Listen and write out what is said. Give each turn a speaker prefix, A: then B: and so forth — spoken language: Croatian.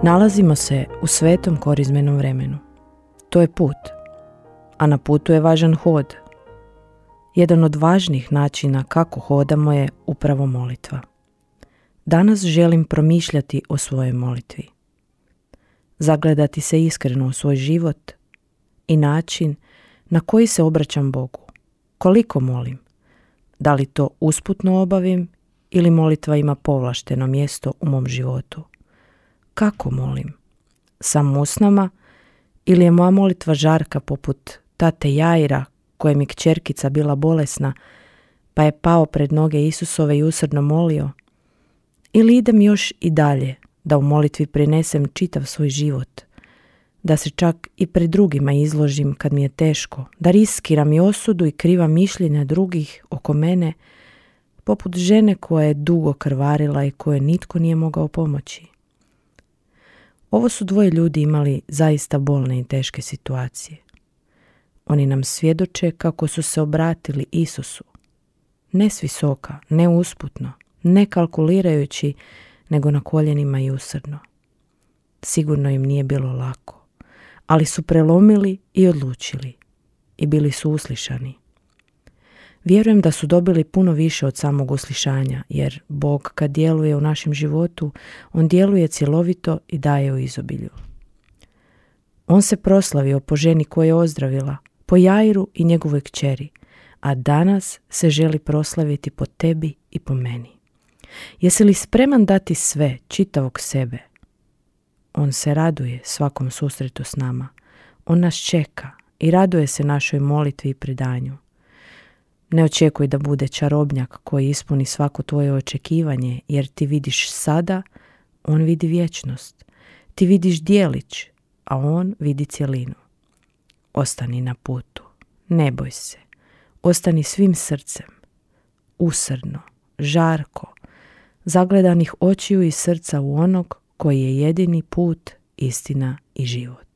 A: Nalazimo se u svetom korizmenom vremenu. To je put, a na putu je važan hod. Jedan od važnih načina kako hodamo je upravo molitva. Danas želim promišljati o svojoj molitvi. Zagledati se iskreno u svoj život i način na koji se obraćam Bogu. Koliko molim? Da li to usputno obavim ili molitva ima povlašteno mjesto u mom životu? Kako molim? Samo usnama ili je moja molitva žarka poput tate Jaira, kojem je kćerkica bila bolesna, pa je pao pred noge Isusove i usrdno molio? Ili idem još i dalje, da u molitvi prinesem čitav svoj život, da se čak i pred drugima izložim kad mi je teško, da riskiram i osudu i kriva mišljenja drugih oko mene, poput žene koja je dugo krvarila i koje nitko nije mogao pomoći. Ovo su dvoje ljudi imali zaista bolne i teške situacije. Oni nam svjedoče kako su se obratili Isusu, ne s visoka, ne usputno, ne kalkulirajući, nego na koljenima i usrdno. Sigurno im nije bilo lako, ali su prelomili i odlučili i bili su uslišani. Vjerujem da su dobili puno više od samog uslišanja, jer Bog kad djeluje u našem životu, on djeluje cjelovito i daje u izobilju. On se proslavio po ženi koja je ozdravila, po Jairu i njegovoj kćeri, a danas se želi proslaviti po tebi i po meni. Jesi li spreman dati sve, čitavog sebe? On se raduje svakom susretu s nama. On nas čeka i raduje se našoj molitvi i predanju. Ne očekuj da bude čarobnjak koji ispuni svako tvoje očekivanje, jer ti vidiš sada, on vidi vječnost. Ti vidiš djelić, a on vidi cjelinu. Ostani na putu, ne boj se. Ostani svim srcem, usrdno, žarko, zagledanih očiju i srca u onog koji je jedini put, istina i život.